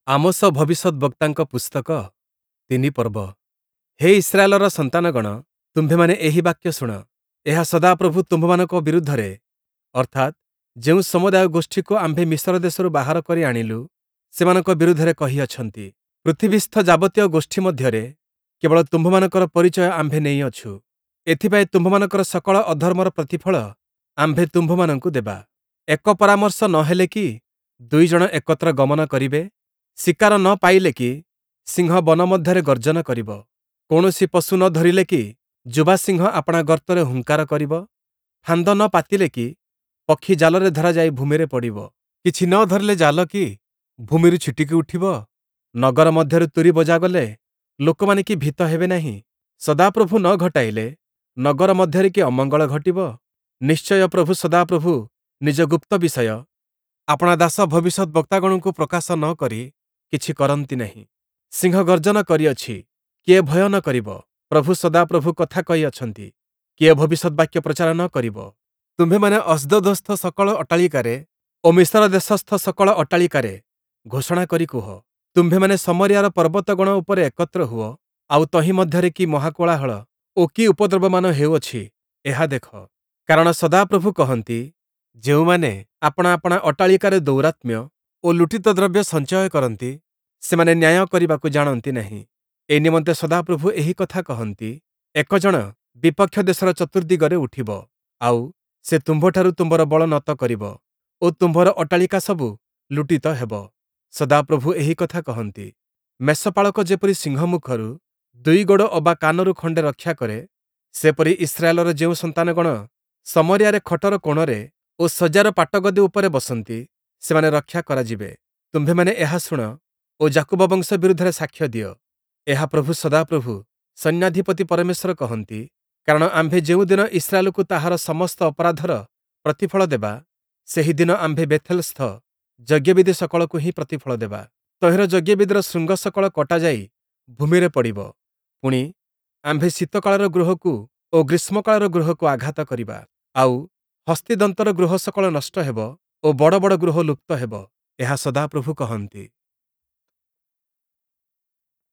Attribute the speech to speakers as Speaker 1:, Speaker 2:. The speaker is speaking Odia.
Speaker 1: ଆମୋଶ ଭବିଷ୍ୟଦ୍‌ବକ୍ତାଙ୍କ ପୁସ୍ତକ 3 ପର୍ବ। ହେ ଇସ୍ରାଏଲର ସନ୍ତାନଗଣ, ତୁମ୍ଭେମାନେ ଏହି ବାକ୍ୟ ଶୁଣ। ଏହା ସଦାପ୍ରଭୁ ତୁମ୍ଭମାନଙ୍କ ବିରୁଦ୍ଧରେ, ଅର୍ଥାତ୍, ଯେଉଁ ସମୁଦାୟ ଗୋଷ୍ଠୀକୁ ଆମ୍ଭେ ମିଶର ଦେଶରୁ ବାହାର କରି ଆଣିଲୁ, ସେମାନଙ୍କ ବିରୁଦ୍ଧରେ କହିଅଛନ୍ତି। ପୃଥିବୀସ୍ଥ ଯାବତୀୟ ଗୋଷ୍ଠୀ ମଧ୍ୟରେ କେବଳ ତୁମ୍ଭମାନଙ୍କର ପରିଚୟ ଆମ୍ଭେ ନେଇଅଛୁ। ଏଥିପାଇଁ ତୁମ୍ଭମାନଙ୍କର ସକଳ ଅଧର୍ମର ପ୍ରତିଫଳ ଆମ୍ଭେ ତୁମ୍ଭମାନଙ୍କୁ ଦେବା। ଏକ ପରାମର୍ଶ ନ ହେଲେ କି ଦୁଇ ଜଣ ଏକତ୍ର ଗମନ କରିବେ? ଶିକାର ନ ପାଇଲେ କି ସିଂହ ବନ ମଧ୍ୟରେ ଗର୍ଜନ କରିବ? କୌଣସି ପଶୁ ନ ଧରିଲେ କି ଯୁବା ସିଂହ ଆପଣା ଗର୍ତ୍ତରେ ହୁଙ୍କାର କରିବ? ଫାନ୍ଦ ନ ପାତିଲେ କି ପକ୍ଷୀ ଜାଲରେ ଧରାଯାଇ ଭୂମିରେ ପଡ଼ିବ? କିଛି ନ ଧରିଲେ ଜାଲ କି ଭୂମିରୁ ଛିଟିକି ଉଠିବ? ନଗର ମଧ୍ୟରେ ତୂରୀ ବଜାଗଲେ ଲୋକମାନେ କି ଭୀତ ହେବେ ନାହିଁ? ସଦାପ୍ରଭୁ ନ ଘଟାଇଲେ ନଗର ମଧ୍ୟରେ କି ଅମଙ୍ଗଳ ଘଟିବ? ନିଶ୍ଚୟ ପ୍ରଭୁ ସଦାପ୍ରଭୁ ନିଜ ଗୁପ୍ତ ବିଷୟ ଆପଣା ଦାସ ଭବିଷ୍ୟଦ୍‌ବକ୍ତାଗଣଙ୍କୁ ପ୍ରକାଶ ନ କରି କିଛି କରନ୍ତି ନାହିଁ। ସିଂହ ଗର୍ଜନ କରିଅଛି, କିଏ ଭୟ ନ କରିବ? ପ୍ରଭୁ ସଦାପ୍ରଭୁ କଥା କହିଅଛନ୍ତି, କିଏ ଭବିଷ୍ୟଦ୍‌ବାକ୍ୟ ପ୍ରଚାର ନ କରିବ? ତୁମ୍ଭେମାନେ ଅସ୍ଦୋଦସ୍ଥ ସକଳ ଅଟ୍ଟାଳିକାରେ ଓ ମିଶର ଦେଶସ୍ଥ ସକଳ ଅଟ୍ଟାଳିକାରେ ଘୋଷଣା କରି କୁହ, ତୁମ୍ଭେମାନେ ଶମରିୟାର ପର୍ବତଗଣ ଉପରେ ଏକତ୍ର ହୁଅ, ଆଉ ତହିଁ ମଧ୍ୟରେ କି ମହାକୋଳାହଳ ଓ କି ଉପଦ୍ରବମାନ ହେଉଅଛି, ଏହା ଦେଖ। କାରଣ ସଦାପ୍ରଭୁ କହନ୍ତି, ଯେଉଁମାନେ ଆପଣା ଆପଣା ଅଟ୍ଟାଳିକାରେ ଦୌରାତ୍ମ୍ୟ ଓ ଲୁଟିତ ଦ୍ରବ୍ୟ ସଞ୍ଚୟ କରନ୍ତି, ସେମାନେ ନ୍ୟାୟ କରିବାକୁ ଜାଣନ୍ତି ନାହିଁ। ଏ ନିମନ୍ତେ ସଦାପ୍ରଭୁ ଏହି କଥା କହନ୍ତି, ଏକ ଜଣ ବିପକ୍ଷ ଦେଶର ଚତୁର୍ଦ୍ଦିଗରେ ଉଠିବ, ଆଉ ସେ ତୁମ୍ଭଠାରୁ ତୁମ୍ଭର ବଳ ନତ କରିବ ଓ ତୁମ୍ଭର ଅଟ୍ଟାଳିକା ସବୁ ଲୁଟିତ ହେବ। ସଦାପ୍ରଭୁ ଏହି କଥା କହନ୍ତି। ମେଷପାଳକ ଯେପରି ସିଂହମୁଖରୁ ଦୁଇ ଗୋଡ଼ ଅବା କାନରୁ ଖଣ୍ଡେ ରକ୍ଷା କରେ, ସେପରି ଇସ୍ରାଏଲର ଯେଉଁ ସନ୍ତାନଗଣ ଶମରିୟାରେ ଖଟର କୋଣରେ ଓ ଶଯ୍ୟାର ପାଟଗଦି ଉପରେ ବସନ୍ତି, ସେମାନେ ରକ୍ଷା କରାଯିବେ। ତୁମ୍ଭେମାନେ ଏହା ଶୁଣ ଓ ଯାକୁବ ବଂଶ ବିରୁଦ୍ଧରେ ସାକ୍ଷ୍ୟ ଦିଅ। ଏହା ପ୍ରଭୁ ସଦାପ୍ରଭୁ ସୈନ୍ୟାଧିପତି ପରମେଶ୍ୱର କହନ୍ତି, କାରଣ ଆମ୍ଭେ ଯେଉଁଦିନ ଇସ୍ରାଏଲକୁ ତାହାର ସମସ୍ତ ଅପରାଧର ପ୍ରତିଫଳ ଦେବା, ସେହି ଦିନ ଆମ୍ଭେ ବେଥେଲସ୍ଥ ଯଜ୍ଞବେଦି ସକଳକୁ ହିଁ ପ୍ରତିଫଳ ଦେବା। ତହିଁର ଯଜ୍ଞବେଦିର ଶୃଙ୍ଗ ସକଳ କଟାଯାଇ ଭୂମିରେ ପଡ଼ିବ। ପୁଣି, ଆମ୍ଭେ ଶୀତକାଳର ଗୃହକୁ ଓ ଗ୍ରୀଷ୍ମକାଳର ଗୃହକୁ ଆଘାତ କରିବା। ଆଉ ହସ୍ତିଦନ୍ତର ଗୃହ ସକଳ ନଷ୍ଟ ହେବ ଓ ବଡ଼ ବଡ଼ ଗୃହ ଲୁପ୍ତ ହେବ। ଏହା ସଦାପ୍ରଭୁ କହନ୍ତି।